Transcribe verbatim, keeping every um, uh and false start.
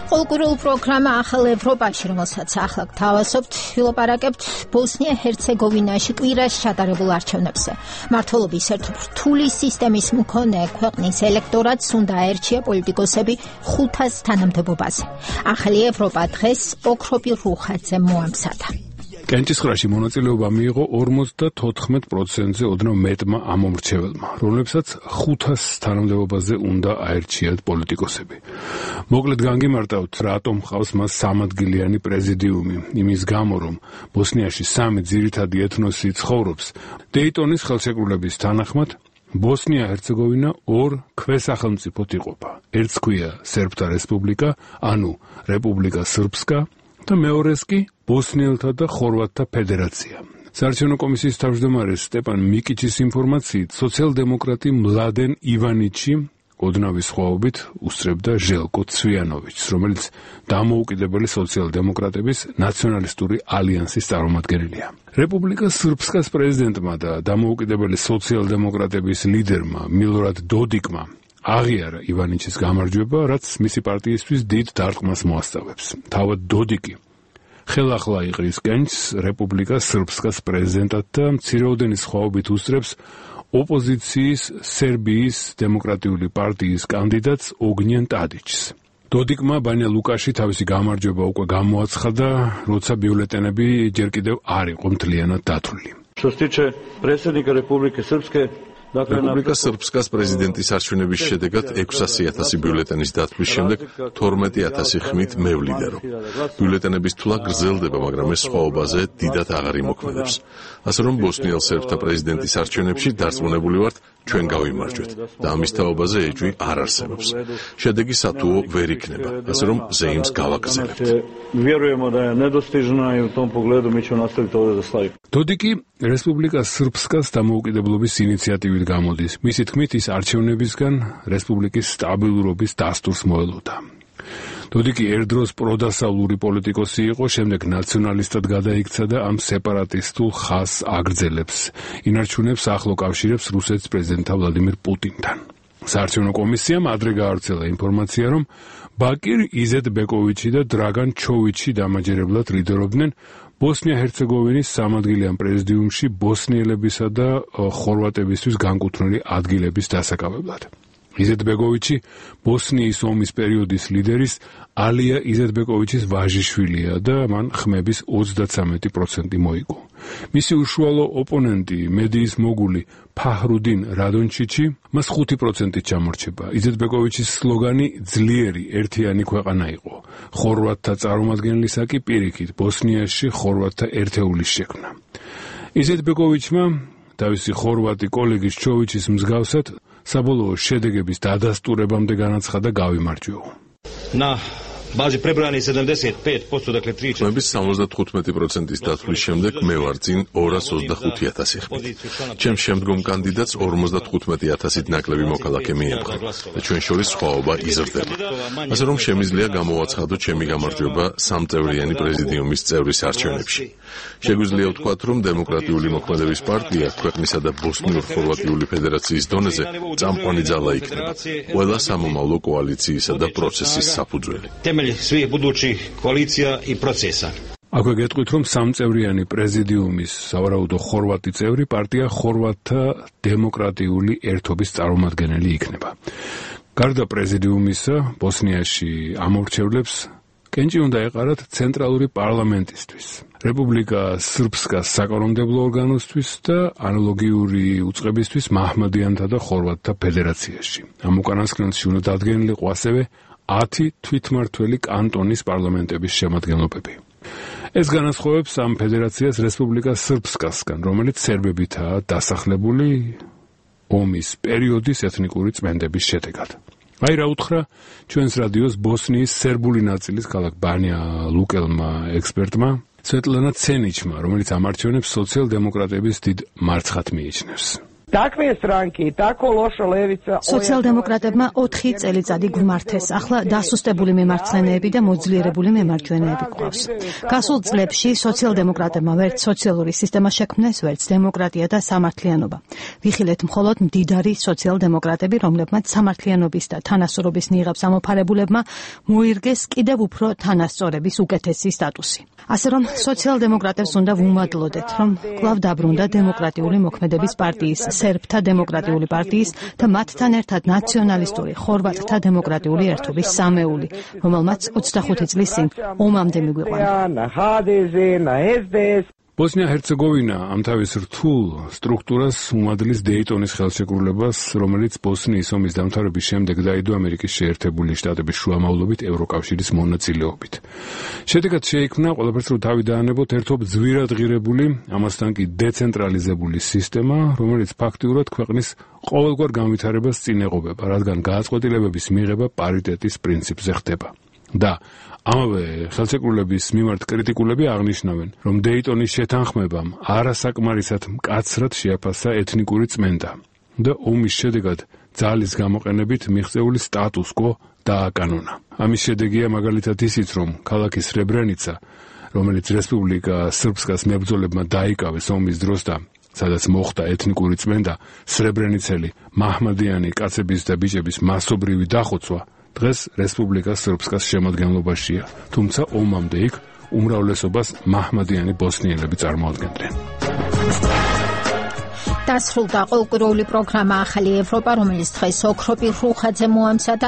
Ყოველკვირეულ პროგრამა ახალ ევროპაში, რომელსაც ახლა გთავაზობთ, ვილაპარაკებთ ბოსნია-ჰერცეგოვინაში კვირაში ჩატარებულ არჩევნებზე. მმართველობის ერთთული სისტემის მქონე ქვეყნის ელექტორატს უნდა აერჩია პოლიტიკოსები ხუთას თანამდებობაზე. ახალი ევროპა დღეს ოქროპი რუხაძე მოამზადა. კენჭისყრაში მონაწილეობა მიიღო ორმოცდათოთხმეტ პროცენტზე ოდნავ მეტმა ამომრჩეველმა, რომლებსაც ხუთას თანამდებობაზე უნდა აერჩიათ პოლიტიკოსები. მოკლედ განგიმარტავთ, რატომ ჰყავს მას სამადგილიანი პრეზიდიუმი, იმის გამო, რომ ბოსნიაში სამი ძირითადი ეთნოსი ცხოვრობს. დეიტონის ხელშეკრულების თანახმად ბოსნია-ჰერცეგოვინა ორ ქვესახელმწიფოდ იყოფა. ერთს ქვია სერბთა რესპუბლიკა, ანუ რეპუბლიკა სრბსკა, და მეორეს კი ბოსნიელთა და ხორვატთა ფედერაცია. საარჩევნო კომისიის თავმჯდომარე სტეპან მიკიჩის ინფორმაციით, სოციალ-დემოკრატი მლადენ ივანიჩი ოდნავი სხვაობით უსწრებდა ჟელკო ცვიანოვიჩს, რომელიც დამოუკიდებელი სოციალ-დემოკრატების ნაციონალისტური ალიანსის წარმომადგენელია. რეპუბლიკა სრბსკას პრეზიდენტმა და დამოუკიდებელი სოციალ-დემოკრატების ლიდერმა მილორად დოდიკმა აღიარა ივანიჩის გამარჯვება, რაც მისი პარტიისთვის დიდ დარტყმას მოასწავებს. თავად დოდიკი ხელახლა იყრის კენჭს რეპუბლიკა სრბსკას პრეზიდენტად და მცირეოდენი სხვაობით უსწრებს ოპოზიციის სერბიის დემოკრატიული პარტიის კანდიდატს ოგნიან ტადიჩს. დოდიკმა ბანია ლუკაში თავისი გამარჯვება უკვე გამოაცხადა, როცა ბიულეტენები ჯერ კიდევ არ იყო მთლიანად დათვლილი. Što se tiče predsjednika Republike Srpske, რესპუბლიკა სრბსკას პრეზიდენტის არჩევნების შედეგად ექვსასი ათასი ბიულეტენის დათვლის შემდეგ თორმეტი ათასი ხმით მე ვლიდერო. ბიულეტენების თვლა გრძელდება, მაგრამ ეს სხვაობაზე დიდად აღარ იმოქმედებს. ასე რომ ბოსნიელ სერბთა პრეზიდენტის არჩევნებში დარწმუნებული ვართ, ჩვენ გავიმარჯვეთ და ამის თაობაზე ეჭვი არ არსებობს. შედეგი სათუო ვერ იქნება, ასე რომ ზეიმს გავაგრძელებთ. დოდიკი რესპუბლიკა სრბსკას დამოუკიდებლობის ინიციატივით გამოდის. მისი თქმით, ის არჩევნებისგან რესპუბლიკის სტაბილურობის დასტურს მოელოდა. დოდიკი ერთდროს პროდასავლური პოლიტიკოსი იყო, შემდეგ ნაციონალისტად გადაიქცა და ამ სეპარატისტულ ხაზს აგრძელებს. ინარჩუნებს ახლო კავშირებს რუსეთის პრეზიდენტ ვლადიმირ პუტინთან. საარჩევნო კომისიამ ადრე გაავრცელა ინფორმაცია, რომ ბაკირ იზეტბეკოვიჩი და დრაგან ჩოვიჩი დამაჯერებლად ლიდერობდნენ ბოსნია-ჰერცეგოვინის სამადგილიან პრეზიდიუმში ბოსნიელებისა და ხორვატებისთვის განკუთვნილი ადგილების დასაკავებლად. იზეტბეკოვიჩი ბოსნიის ომის პერიოდის ლიდერის ალია იზეტბეკოვიჩის ვაჟიშვილია და მან ხმების ოცდაცამეტი პროცენტი მოიგო. მისი უშუალო ოპონენტი, მედიის მოგული ფაჰრუდინ რადონჩიჩი, მას ხუთი პროცენტით ჩამორჩება. იზეტბეკოვიჩის სლოგანი ძლიერი ერთიანი ქვეყანა იყო. ხორვატთა წარმომადგენლისა კი პირიქით ბოსნიაში ხორვატთა ერთეულის შექმნა. იზეტბეკოვიჩმა თავისი ხორვატი კოლეგის ჩოვიჩის მსგავსად საბოლოო შედეგების დადასტურებამდე განაცხადა გავიმარჯვეო. Na bazi prebrojani sedamdeset pet posto, dakle tri četiri. ხმების სამოცდათხუთმეტი პროცენტის დათვლის შემდეგ მე ვარ წინ ორას ოცდახუთი ათასი ხმით. ჩემს შემდგომ კანდიდატს ორმოცდათხუთმეტი ათასით ნაკლები მოქალაქე მიემხრა და ჩვენ შორის სხვაობა იზრდება. ასე რომ შემიძლია გამოვაცხადო ჩემი გამარჯვება სამწევრიანი პრეზიდიუმის წევრის არჩევნებში. შეგვიძლია ვთქვათ, რომ დემოკრატიული მოქმედების პარტია ქვეყნისა და ბოსნიურ-ხორვატიული ფედერაციის დონეზე წამყვანი ძალა იქნება. ყველა სამომავლო კოალიციისა და პროცესის საფუძველი. Svih budućih koalicija i procesa. აქვე გეტყვით, რომ სამწევრიანი პრეზიდიუმის სავარაუდო ხორვატი წევრი პარტია ხორვატთა დემოკრატიული ერთობის წარმომადგენელი იქნება. გარდა პრეზიდიუმისა, ბოსნიაში ამორჩევლებს კენჭი უნდა ეყარათ ცენტრალური პარლამენტისთვის, რეპუბლიკა სრბსკას საკანონმდებლო ორგანოსთვის და ანალოგიური უწყებისთვის მაჰმადიანთა და ხორვატთა ფედერაციაში. ამ უკანასკნელში უნდა დადგენილიყო ასევე ათი თვითმმართველი კანტონის პარლამენტების შემადგენლობები. ეს განასხვავებს ამ ფედერაციას რესპუბლიკა სრბსკასგან, რომელიც სერბებითაა დასახლებული ომის პერიოდის ეთნიკური წმენდების შედეგად. აი რა უთხრა ჩვენს რადიოს ბოსნიის სერბული ნაწილის ქალაქ ბანია ლუკელმა ექსპერტმა სვეტლანა ცენიჩმა, რომელიც ამ არჩევნებს სოციალ-დემოკრატების დიდ მარცხად მიიჩნევს. სოციალ-დემოკრატებმა ოთხი წელიწადი გვმართეს. ახლა დასუსტებული მემარცხენეები და მოძლიერებული მემარჯვენეები გვყავს. გასულ წლებში სოციალ-დემოკრატებმა ვერც სოციალური სისტემა შექმნეს, ვერც დემოკრატია და სამართლიანობა. ვიხილეთ მხოლოდ მდიდარი სოციალ-დემოკრატები, რომლებმაც სამართლიანობის და თანასწორობის ნიღაბს ამოფარებულებმა მოირგეს კიდევ უფრო თანასწორების უკეთესი სტატუსი. ასე რომ სოციალ-დემოკრატებს უნდა ვუმადლოდეთ, რომ კვლავ დაბრუნდა დემოკრატიული მოქმედების პარტიის, სერბთა დემოკრატიული პარტიის და მათთან ერთად ნაციონალისტური ხორვატთა დემოკრატიული ერთობის სამეული, რომელმაც ოცდახუთი წლის წინ ომამდე მიგვიყვანა. ბოსნია-ჰერცეგოვინა ამ თავის რთულ სტრუქტურას უმადლის დეიტონის ხელშეკრულებას, რომელიც ბოსნიის ომის დამთავრების შემდეგ დაიდო ამერიკის შეერთებული შტატების შუამავლობით ევროკავშირის მონაწილეობით. შედეგად შეიქმნა ყველაფერს რო თავი დაანებოთ ერთობ ძვირად ღირებული, ამასთან კი დეცენტრალიზებული სისტემა, რომელიც ფაქტიურად ქვეყნის ყოველგვარ განვითარებას წინ ეღობება, რადგან გააწყვეტილებების მიღება პარიტეტის პრინციპზე ხდება. და ამავე ხელშეკრულების მიმართ კრიტიკულები აღნიშნავენ, რომ დეიტონის შეთანხმებამ არასაკმარისად მკაცრად შეაფასა ეთნიკური წმენდა და ომის შედეგად ძალის გამოყენებით მიღწეული სტატუს კო დააკანონა. ამის შედეგია მაგალითად ისიც, რომ ქალაქი სრებრენიცა, რომელიც რესპუბლიკა სრბსკას მებრძოლებმა დაიკავეს ომის დროს და სადაც მოხდა ეთნიკური წმენდა, სრებრენიცელი მაჰმადიანი კაცების და ბიჭების მასობრივი დახოცვა დღეს რესპუბლიკა სრბსკას შემადგენლობაშია, თუმცა ომამდე იქ უმრავლესობას მაჰმადიანი ბოსნიელები წარმოადგენდნენ. დასრულდა ყოველკვირეული პროგრამა ახალი ევროპა, რომელიც დღეს ოქროპირ რუხაძე მოამზადა.